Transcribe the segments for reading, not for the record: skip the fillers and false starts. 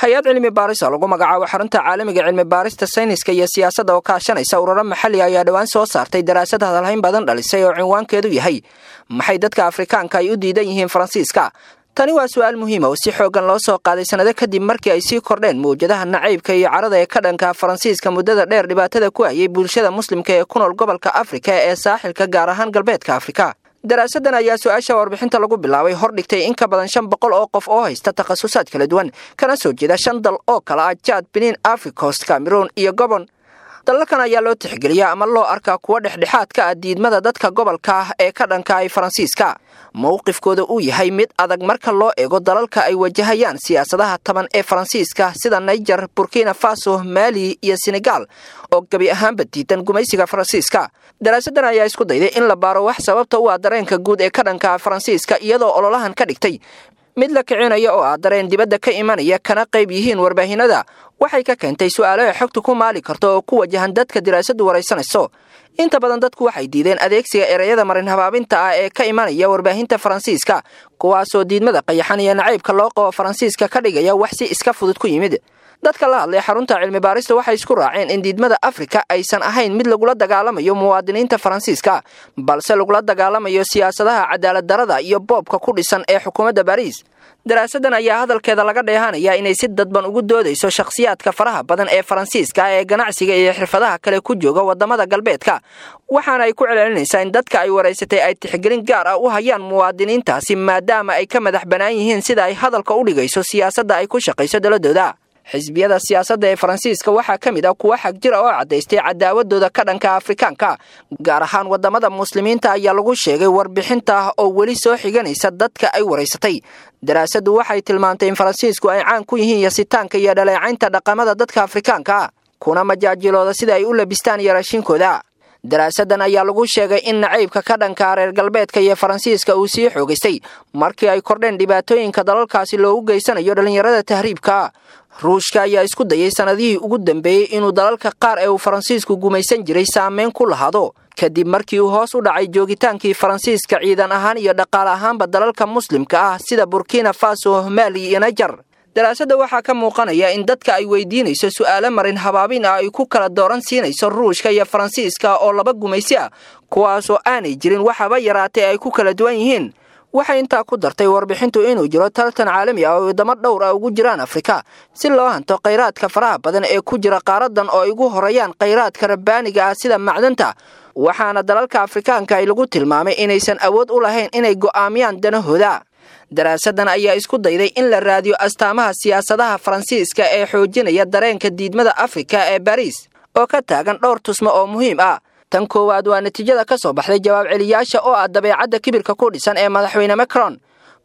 Hay-ad cilmi baaris oo lagu magacaabo Xarunta Caalamiga Cilmi Baarista Sayniska iyo Siyaasadda oo kaashanaysa ururo maxalli ayaa dhowaan soo saartay daraasad hadalhayn badan dhalisay oo cinwaankeedu yahay "Maxay dadka Afrikaanka ay u diidan yihiin Faransiiska?" Tani waa su-aal muhiima oo si xooggan loo soo qaaday sanado kadib markii ay sii kordheen mawjadaha nacaybka iyo carada ee ka dhanka Faransiiska muddada dheer dhibaatada ku hayay bulshada Muslimka ee ku nool gobolka Afrika ee Saaxilka, gaar ahaan Galbeedka Afrika. Daraasadan ayaa su-aasha warbixinta lagu bilaabay hordhigtay in ka badan 500 oo qof oo haysta takhasusaad kala duwan, kana soo jeeda shan dal oo kala ah Jaad, Benin, Africost, Cameroon iyo Gobon. Dalalkan ayaa loo tixgeliyaa ama loo arkaa kuwa dhexdhexaad ka ah diidmada dadka gobolka ah ee ka dhanka ay Faransiiska. Mowqifkooda uu yahay mid adag marka loo eego dalalka ay wajahayaan siyaasadaha taban ee Faransiiska, sida Niger, Burkina Faso, Maali iyo Senegal oo gebi ahaanba diidan gumaysiga Faransiiska. Daraasadan ayaa isku dayday in la baaro wax sababta u ah dareenka guud ee ka dhanka Faransiiska, iyadoo ololahan ka dhigtay mid la kicinaya oo ah dareen dibadda ka imanaya, kana qayb yihiin warbaahinada. Waxay ka keentay su-aalo ay xogtu ku maali karto oo ku wajahan dadka daraasadu waraysanayso. Inta badan dadku waxay diideen adeegsiga ereyada marin habaabinta ah ee ka imanaya warbaahinta Faransiiska, kuwaasoo diidmada qayaxan iyo nacaybka loo qabo Faransiiska ka dhigaya wax si iska fudud ku yimid. Dadka la hadlay xarunta cilmi baarista waxay isku raaceen in diidmada Afrika aysan ahayn mid lagula dagaalamayo muwaadiniinta Faransiiska, balse lagula dagaalamayo siyaasadaha cadaalad darada iyo boobka ku dhisan ee xukuumadda Bariis. Daraasadan ayaa hadalkeeda laga dheehanaya inay si dadban ugu doodayso shakhsiyaadka faraha badan ee Faransiiska ee ganacsiga iyo xirfadaha kale ku jooga wadamada galbeedka, waxaana ay ku celcelinaysaa in dadka ay waraysatay ay tixgelin gaar ah u hayaan muwaadiniintaasi, maadaama ay ka madax bannaan yihiin, sida ay hadalka u dhigayso, siyaasadda ay ku shaqayso daladooda. Xisbiyada siyaasadda ee Faransiiska waxaa ka mid ah kuwa xag jira oo caddaystay cadaawadooda ka dhanka Afrikaanka, gaar ahaan wadamada Muslimiinta, ayaa lagu sheegay warbixinta oo weli soo xiganaysa dadka ay waraysatay. Daraasaddu waxay tilmaantay in Faransiisku ay caan ku yihiin yasitaanka iyo dhaleecaynta dhaqamada dadka Afrikaanka, kuna majaajilooda sida ay u labistaan iyo raashinkooda. Daraasadan ayaa lagu sheegay in nacaybka ka dhanka reer galbeedka iyo Faransiiska uu sii xoogaystay markii ay kordheen dhibaatooyinka dalalkaasi loogu geysanayo dhallinyarada tahriibka. Ruushka ayaa isku dayay sanadihii ugu dambeeyey inuu dalalka qaar ee uu Faransiisku gumaysan jiray saameyn ku lahaado, kadib markii uu hoos u dhacay joogitaankii Faransiiska ciidan ahaan iyo dhaqaale ahaanba dalalka Muslimka ah sida Burkina Faso, Maali iyo Niger. Daraasadda waxaa ka muuqanaya in dadka ay weydiinayso su'aalo marin habaabin ah ay ku kala dooran siinayso Ruushka iyo Faransiiska oo laba gumaysi ah, kuwaasoo aanay jirin waxaba yaraatay ay ku kala duwan yihiin. Waxay intaa ku dartay warbixintu inuu jiro tartan caalami ah oo wadamo dhowr ah ugu jiraan Afrika si loo hanto khayraadka faraha badan ee ku jira qaaradan, oo ay ugu horeeyaan khayraadka rabbaaniga ah sida macdanta, waxaana dalalka Afrikaanka ay lagu tilmaamay inaysan awood u lahayn inay go'aamiyaan danahooda. Daraasadan ayaa isku dayday in la raadiyo astaamaha siyaasadaha Faransiiska ee xoojinaya dareenka diidmada Afrika ee Bariis oo ka taagan dhowr tusmo oo muhiim ah. Tan koowaad waa natiijada ka soo baxday jawaab celiyaasha oo ah dabeecadda kibirka ku dhisan ee madaxweyne Macron,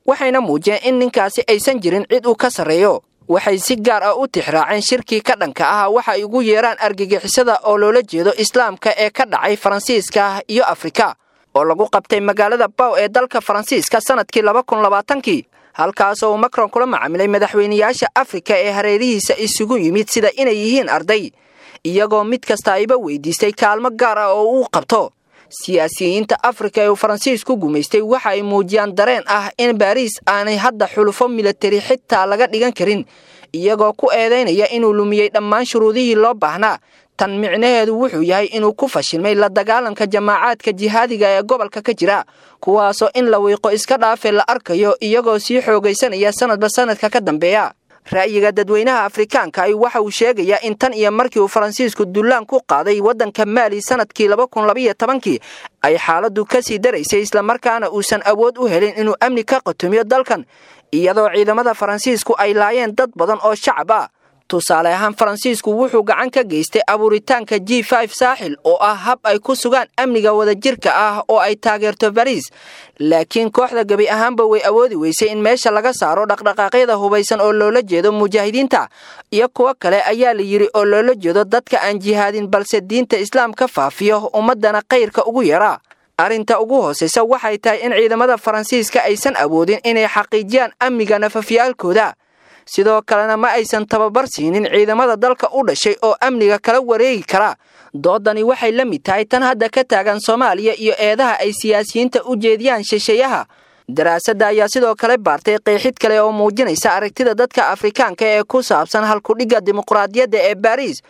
waxayna muujiyeen in ninkaasi aysan jirin cid uu ka sarreeyo. Waxay si gaar ah u tixraaceen shirkii ka dhanka ah waxa ay ugu yeeraan argagixisada oo loola jeedo Islaamka ee ka dhacay Faransiiska iyo Afrika oo lagu qabtay magaalada Baw ee dalka Faransiiska sanadkii 2020-kii, halkaasoo uu Macron kula macaamilay madaxweyneyaasha Afrika ee hareerihiisa isugu yimid sida inay yihiin arday, iyagoo mid kasta ayba weydiistay kaalmo gaar ah oo uu qabto. Siyaasiyiinta Afrika ee uu Faransiisku gumaystay waxa ay muujiyaan dareen ah in Baariis aanay hadda xulufo milatari xitaa laga dhigan karin, iyagoo ku eedaynaya inuu lumiyey dhammaan shuruudihii loo baahnaa. Tan micnaheedu wuxuu yahay inuu ku fashilmay la dagaalanka jamaacaadka jihaadiga ee gobolka ka jira, kuwaasoo in la wiiqo iska dhaafe la arkayo iyagoo sii xoogaysanaya sanadba sanadka ka dambeeya. Ra'yiga dadweynaha Afrikaanka ay waxa uu sheegayaa in tan iyo markii uu Faransiisku dullaan ku qaaday waddanka Maali sanadkii 2012-kii ay xaaladdu ka sii daraysay, islamarkaana uusan awood u helin inuu amni ka qatumiyo dalkan, iyadoo ciidamada Faransiisku ay laayeen dad badan oo shacab ah. Tusaale ahaan, Faransiisku wuxuu gacan ka geystay abuuritaanka G5 Saaxil oo ah hab ay ku sugaan amniga wadajirka ah oo ay taageerto Bariis, laakiin kooxda gebi ahaanba way awoodi weysay in meesha laga saaro dhaqdhaqaaqyada hubaysan oo loola jeedo mujaahidiinta iyo kuwo kale, ayaa la yidhi, oo loola jeedo dadka aan jihaadin balse diinta Islaamka faafiyo, ummaddana khayrka ugu yeera. Arrinta ugu hoosaysa waxay tahay in ciidamada Faransiiska aysan awoodin inay xaqiijiyaan amniga nafafyaalkooda, sidoo kalena ma aysan tababar siinin ciidamada dalka u dhashay oo amniga kala wareegi kara. Doodani waxay la mid tahay tan hadda ka taagan Soomaaliya iyo eedaha ay siyaasiyiinta u jeediyaan shisheeyaha. Daraasadda ayaa sidoo kale baartay qeexid kale oo muujinaysa aragtida dadka Afrikaanka ee ku saabsan halkudhigga dimuqraadiyadda ee Baariis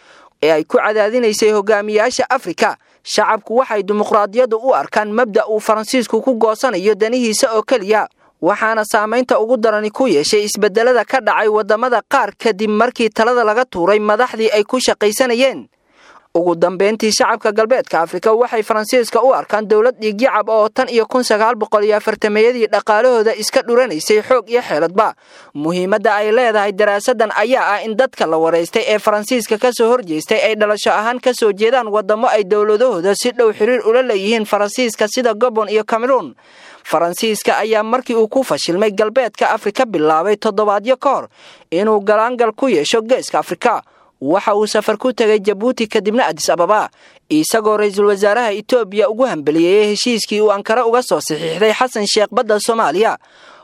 ee ay ku cadaadinaysay hogaamiyaasha Afrika. Shacabku waxay dimuqraadiyaddu u arkaan mabda' uu Faransiisku ku goosanayo danihiisa oo keliya, waxaana saamaynta ugu darani ku yeeshay isbedelada ka dhacay waddamada qaar kadib markii talada laga tuuray madaxdii ay ku shaqaysanayeen. Ugu dambeyntii, shacabka galbeedka Afrika waxay Faransiiska u arkaan dowlad dhiigyacab oo tan iyo 1940-yadii dhaqaalahooda iska dhuranaysay xoog iyo xeeladba. Muhiimadda ay leedahay daraasadan ayaa ah in dadka la waraystay ee Faransiiska kasoo horjeestay ay dhalasho ahaan kasoo jeedaan waddamo ay dowladahooda si dhow xiriir ula leeyihiin Faransiiska, sida Gabon iyo Cameroon. Faransiiska ayaa markii uu ku fashilmay galbeedka Afrika bilaabay toddobaadyo ka hor inuu galaangal ku yeesho geeska Afrika. Waxa uu safar ku tegay Jabuuti, kadibna Adis Ababa, isagoo ra-iisul wasaaraha Itoobiya ugu hambeliyeeyey heshiiskii uu Ankara uga soo saxiixday Xasan Sheekh badda Soomaaliya.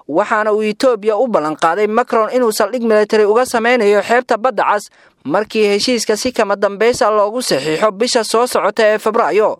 Waxaana uu Itoobiya u ballanqaaday Macron inuu saldhig militari uga samaynayo xeebta Badda Cas markii heshiiska si kama dambaysa loogu saxiixo bisha soo socota ee Febraayo.